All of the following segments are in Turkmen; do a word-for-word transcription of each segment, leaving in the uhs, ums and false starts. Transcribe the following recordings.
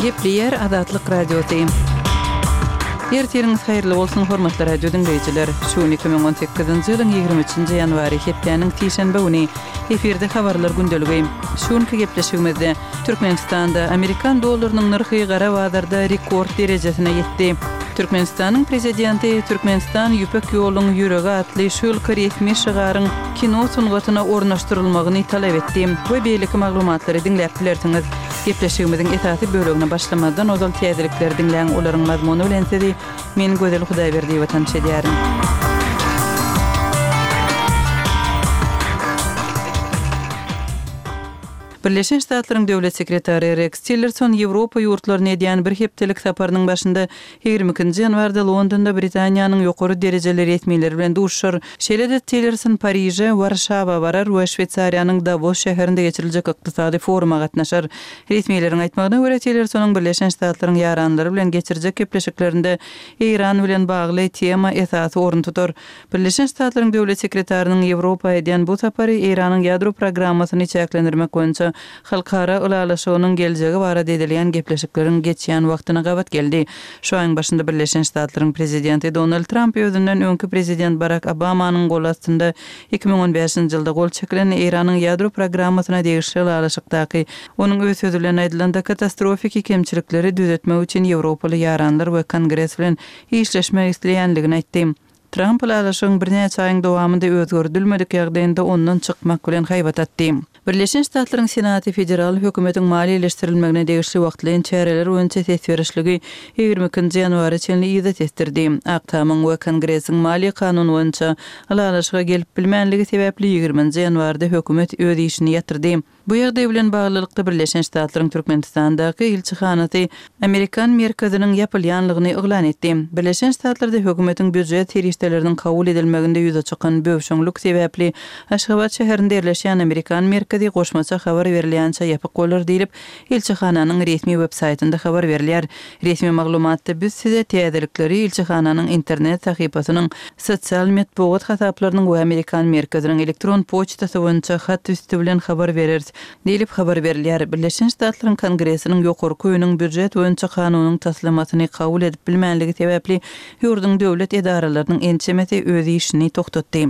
Gepleýär Azatlyk Radiosy. Ertiriňiz haýyrly bolsun, hormatly radio diňleýjiler. Şu gün iki müň on sekizinji ýylyň ýigrimi üçünji ýanwary, hepdäniň sişenbe güni. Efirde habarlar gündeligi. Şu günki gepleşigimizde Türkmenistanda amerikan dollarynyň nyrhy gara bazarda rekord derejesine ýetdi. Türkmenistanyň Prezidenti Türkmenistan Ýüpek ýoluň ýüregi atly şu ýylky resmi şygaryň kino sungatyna ornaşdyrylmagyny talap etdi we beýleki maglumatlary diňläp bilersiňiz. Gepleşigimiziň esasy bölegine başlamazdan ozal täzelikleri diňläň, olaryň mazmuny bilen sizi men Gözel Hudaýberdiýewa tanyş edýärin. Birleşen Ştatlaryň Döwlet sekretary Reks Tillerson Ýewropa ýurtlaryna edýän bir hepdelik saparynyň başynda ýigrimi ikinji ýanwarda Londonda Britaniýanyň ýokary derejeli resmileri bilen duşuşar. Şeýle-de Tillerson Pariže, Warşawa barar we Şweýsariýanyň Dawos şäherinde geçiriljek ykdysady foruma gatnaşar. Resmileriň aýtmagyna görä, Tillersonyň Birleşen Ştatlaryň ýaranlary bilen geçirjek gepleşiklerinde Eýran bilen bagly tema esasy orun tutar. Birleşen Ştatlaryň Döwlet sekretarynyň Ýewropa edýän bu sapary Eýranyň ýadro programmasyny çäklendirmek boýunça halkara ylalaşygynyň geljegi barada edilýän gepleşikleriň geçýän wagtyna gabat geldi. Şu aýyň başynda Birleşen Ştatlaryň Prezidenti Donald Tramp özünden öňki Prezident Barak Obamanyň goly astynda iki müň on bäşinji ýylda gol çekilen Eýranyň ýadro programmasyna degişli ylalaşykdaky, onuň öz sözi bilen aýdylanda, katastrofiki kemçilikleri düzetmek üçin ýewropaly ýaranlar we Kongres bilen işleşmek isleýänligini aýtdy. Tramp ylalaşygyň birnäçe aýyň dowamynda özgerdilmedik ýagdaýynda ondan çykmak bilen haýbat atdy. Birleşen Ştatlaryň Senaty federal hökümetiň maliýeleşdirilmegine degişli wagtlaýyn çäreler boýunça ses berişligi ýigrimi ikinji ýanwara çenli yza tesdirdi. Ak Tamyň we Kongresiň maliýe kanuny boýunça ylalaşyga gelip bilmänligi sebäpli ýigriminji ýanwarda hökümet öz işini ýatyrdy. Bu ýagdaý bilen baglylykda Birleşen Ştatlaryň Türkmenistandaky ilçihanasy Amerikan merkeziniň ýapylýanlygyny yglan etdi. Birleşen Ştatlarda hökümetiň býujet serişdeleriniň kabul edilmeginde ýüze çykan böwşeňlik sebäpli Aşgabat şäherinde ýerleşýän Amerikan merkezi goşmaça habar berilýänçä ýapyk bolar diýlip, ilçihananyň resmi web-saýtynda habar berilýär. Resmi maglumatda biz size täzelikleri ilçihananyň internet sahypasynyň, sosial metbugat hasaplarynyň we Amerikan merkeziniň elektron poçtasy boýunça hat üsti bilen habar bereris diýlip habar berilýär. Birleşen Ştatlaryň Kongresiniň ýokarky öýüniň býujet boýunça kanunyň taslamasyny kabul edip bilmänligi sebäpli ýurduň döwlet edaralarynyň ençemesi öz işini togtatdy.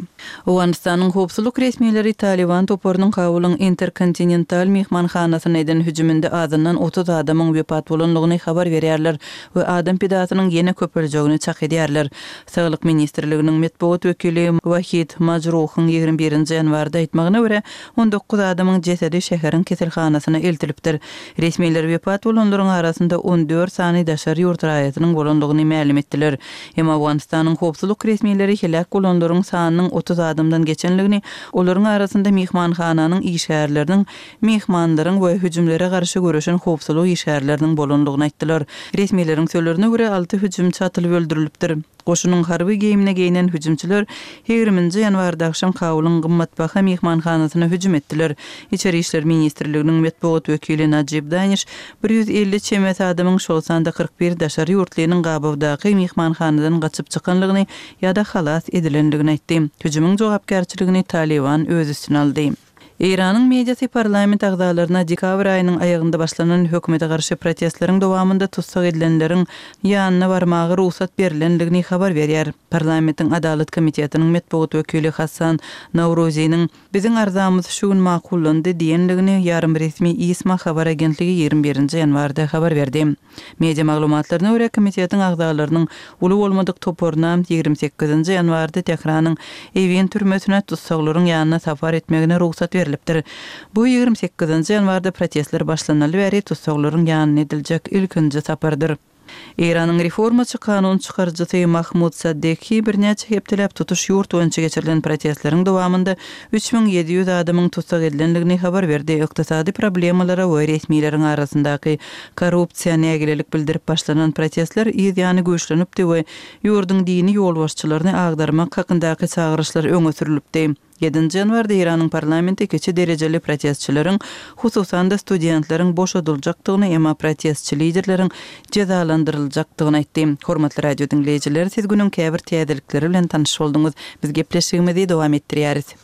Owganystanyň howpsuzlyk resmileri Talyban toparynyň Kabulyň Interkontinental myhmanhanasyna eden hüjüminde azyndan otuz adamyň wepat bolandygyny habar berýärler we adam pidasynyň ýene köpeljegini çak edýärler. Saglyk ministrliginiň metbugat wekili Wahid Majruhyň ýigrimi birinji ýanwarda aýtmagyna görä, on dokuz adamyň jesedi şäheriň keselhanasyna eltilipdir. Resmiler wepat bolanlaryň arasynda on dört sany daşary ýurt raýatynyň bolandygyny mälim etdiler. Emma Owganystanyň howpsuzlyk resmileri heläk bolanlaryň sanynyň otuz adamdan geçenligini, olaryň arasynda myhmanhananyň işgärleriniň, myhmanlaryň we hüjümlere garşy göreşen howpsuzlyk işgärleriniň bolandygyny aýtdylar. Resmileriň sözlerine görä, alty hüjümçi atylyp öldürilipdir. Goşunyň harby geýimine geýnen hüjümçiler ýigriminji ýanwarda agşam Kabulyň gymmatbaha myhmanhanasyna hüjüm etdiler. Içeri işler ministrliginiň metbugat wekili Najib Daniş bir ýüz elli çemesi adamyň, şol sanda kyrk bir daşary ýurtlynyň gabawdaky myhmanhanadan gaçyp çykanlygyny ýa-da halas edilendigini aýtdy. Hüjümiň jogapkärçiligini Talyban öz üstüne aldy. Eýranyň mediasy parlament agzalaryna dekabr aýynyň aýagynda başlanan hökümete garşy protestleriň dowamynda tussag edilenleriň ýanyna barmaga rugsat berlendigini habar berýär. Parlamentiň Adalat komitetiniň metbugat wekili Hassan Nowruziniň Biziň arzamyz şu gün makullandy diýendigini ýarym resmi ISMA habar agentligi ýigrimi birinji ýanwarda habar berdi. Media maglumatlaryna görä, komitetiň agzalarynyň uly bolmadyk toparyna ýigrimi sekizinji ýanwarda Tähranyň Ewin türmesine tussaglaryň ýanyna sapar etmegine rugsat berlipdir. Bu ýigrimi sekizinji ýanwarda protestler başlanaly bäri tussaglaryň ýanyna ediljek ilkinji sapardyr. Eýranyň reformaçy kanun çykaryjysy Mahmud Saddeki birnäçe hepdeläp tutuş ýurt boýunça geçirilen protestleriň dowamynda üç müň ýedi ýüz adamyň tussag edilendigini habar berdi. Ykdysady problemalara we resmileriň arasyndaky korrupsiýa nägilelik bildirip başlanan protestler yz ýany güýçlenipdi we ýurduň dini ýolbaşçylaryny agdarmak hakyndaky çagyryşlar öňe sürülipdi. Ýedinji ýanwarda Eýranyň parlamenti kiçi derejeli protestçileriň, hususan-da studentleriň boşadyljakdygyny, emma protestçi liderleriň jezalandyryljakdygyny aýtdy. Hormatly radio diňleýjiler, siz günüň käbir täzelikleri bilen tanyş bolduňyz. Biz gepleşigimizi dowam etdirýäris.